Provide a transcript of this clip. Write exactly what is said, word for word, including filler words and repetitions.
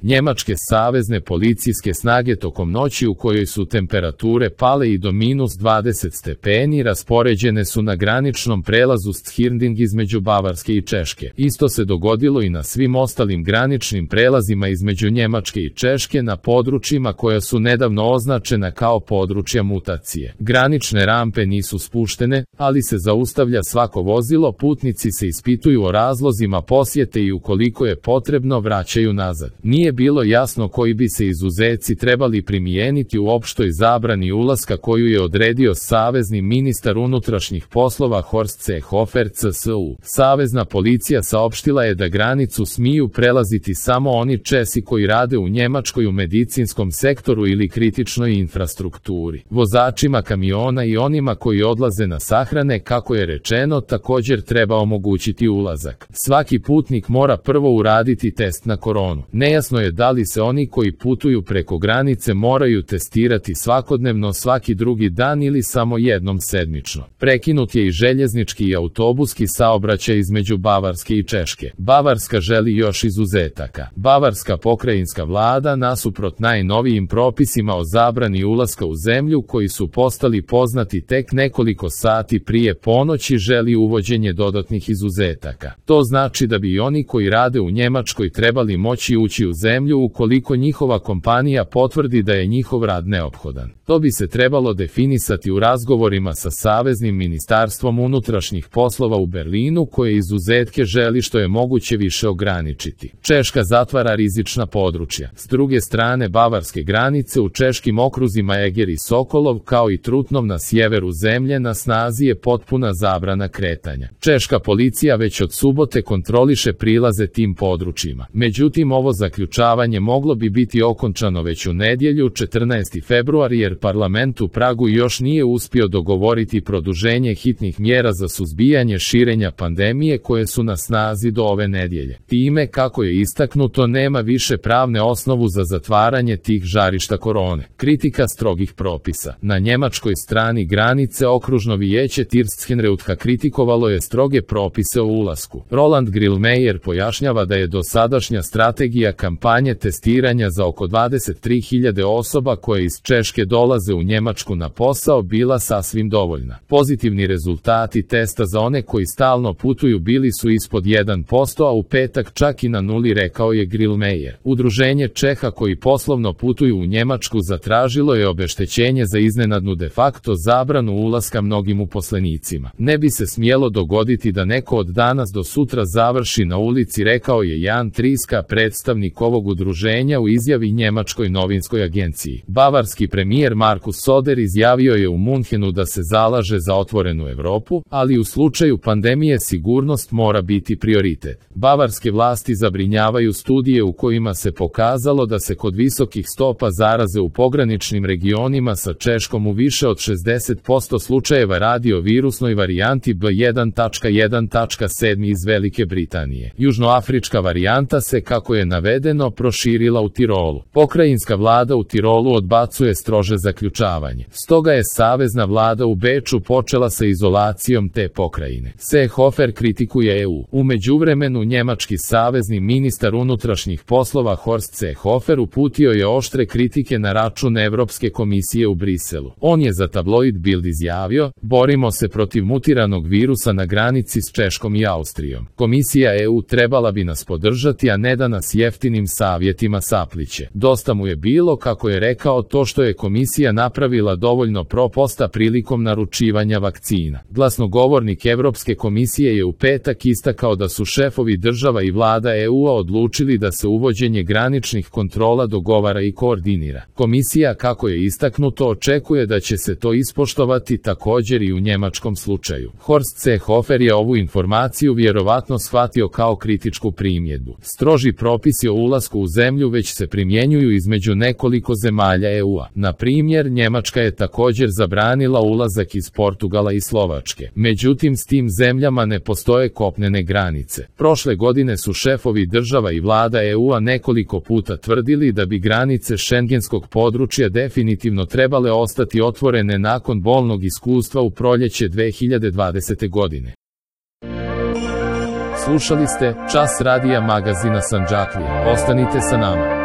Njemačke savezne policijske snage tokom noći u kojoj su temperature pale i do minus dvadeset stepeni raspoređene su na graničnom prelazu Schirnding između Bavarske i Češke. Isto se dogodilo i na svim ostalim graničnim prelazima između Njemačke i Češke na područjima koja su nedavno označena kao područja mutacije. Granične rampe nisu spuštene, ali se zaustavlja svako vozilo, putnici se ispituju o razlozima posjete i ukoliko je potrebno vraćaju nazad. Nije bilo jasno koji bi se izuzeci trebali primijeniti u opštoj zabrani ulaska koju je odredio savezni ministar unutrašnjih poslova Horst Seehofer C S U. Savezna policija saopštila je da granicu smiju prelaziti samo oni Česi koji rade u Njemačkoj u medicinskom sektoru ili kritičnoj infrastrukturi. Vozačima kamiona i onima koji odlaze na sahrane, kako je rečeno, također treba omogućiti ulazak. Svaki putnik mora prvo uraditi test na koronu. Nejasno je da li se oni koji putuju preko granice moraju testirati svakodnevno, svaki drugi dan ili samo jednom sedmično. Prekinut je i željeznički i autobuski saobraćaj između Bavarske i Češke. Bavarska želi još izuzetaka. Bavarska pokrajinska vlada, nasuprot najnovijim propisima o zabrani ulaska u zemlju koji su postali poznati tek nekoliko sati prije ponoći, želi uvođenje dodatnih izuzetaka. To znači da bi i oni koji rade u Njemačkoj trebali moći ući u zemlju ukoliko njihova kompanija potvrdi da je njihov rad neophodan. To bi se trebalo definisati u razgovorima sa Saveznim ministarstvom unutrašnjih poslova u Berlinu, koje izuzetke želi što je moguće više ograničiti. Češka zatvara rizična područja. S druge strane bavarske granice u češkim okruzima Eger i Sokolov kao i Trutnov na sjeveru zemlje na snazi je potpuna zabrana kretanja. Češka policija već od subote kontroliše prilaze tim područjima. Međutim, ovo zaključavanje moglo bi biti okončano već u nedjelju četrnaesti februar jer parlament u Pragu još nije uspio dogovoriti produženje hitnih mjera za suzbijanje širenja pandemije koje su na snazi do ove nedjelje. Time, kako je istaknuto, nema više pravne osnovu za zatvaranje tih žarišta korone. Kritika strogih propisa. Na njemačkoj strani granice okružno vijeće Tirsthenreutka kritikovalo je stroge propise o ulasku. Roland Grillmeier pojašnjava da je dosadašnja strategija kampanje testiranja za oko dvadeset tri hiljade osoba koje iz Češke dolaze u Njemačku na posao bila sasvim dovoljna. Pozitivni rezultati testa za one koji stalno putuju bili su ispod jedan posto, a u petak čak i na nuli, rekao je Grillmeier. Udruženje Čeha koji poslovno putuju u Njemačku zatražilo je obeštećenje za iznenadnu de facto zabranu ulaska mnogim uposlenicima. Ne bi se smjelo dogoditi da neko od danas do sutra završi na ulici, rekao je Jan Triska, predstavnik ovog udruženja, u izjavi njemačkoj novinskoj agenciji. Bavarski premijer Markus Söder izjavio je u Munchenu da se zalaže za otvorenu Europu, ali u slučaju pandemije sigurnost mora biti prioritet. Bavarske vlasti zabrinjavaju studije u kojima se pokazalo da se kod visokih stopa zaraze u pograničnim regionima sa Češkom u više od šezdeset posto slučajeva radi o virusnoj varijanti B jedan jedan sedam iz Velike Britanije. Južnoafrička varijanta se, kako je navedeno, proširila u Tirolu. Pokrajinska vlada u Tirolu odbacuje strože zaključavanje. Stoga je savezna vlada u Beču počela sa izolacijom te pokrajine. Seehofer kritikuje E U. U međuvremenu njemački savezni ministar unutrašnjih poslova Horst Seehofer uputio je oštre kritike na račun Evropske komisije u Briselu. On je za tabloid Bild izjavio: borimo se protiv mutiranog virusa na granici s Češkom i Austrijom. Komisija E U trebala bi nas podržati, a ne da nas jeftinim savjetima sapliće. Dosta mu je bilo, kako je rekao, to što je komisija napravila dovoljno proposta prilikom naručivanja vakcina. Glasnogovornik Evropske komisije je u petak istakao da su šefovi država i vlada E U-a odlučili da se uvođenje graničnih kontrola dogovara i koordinira. Komisija, kako je istaknuto, očekuje da će se to ispoštovati također i u njemačkom slučaju. Horst Seehofer je ovu informaciju vjerovatno shvatio kao kritičku primjedbu. Stroži propisi o ulasku u zemlju već se primjenjuju između nekoliko zemalja E U-a. Na primjer, Njemačka je također zabranila ulazak iz Portugala i Slovačke. Međutim, s tim zemljama ne postoje kopnene granice. Prošle godine su šefovi država i vlada E U-a nekoliko puta tvrdili da bi granice šengenskog područja definitivno trebale ostati otvorene nakon bolnog iskustva u proljeće dve hiljade dvadesete. godine. Slušali ste Čas radija magazina Sandžaklije. Ostanite sa nama.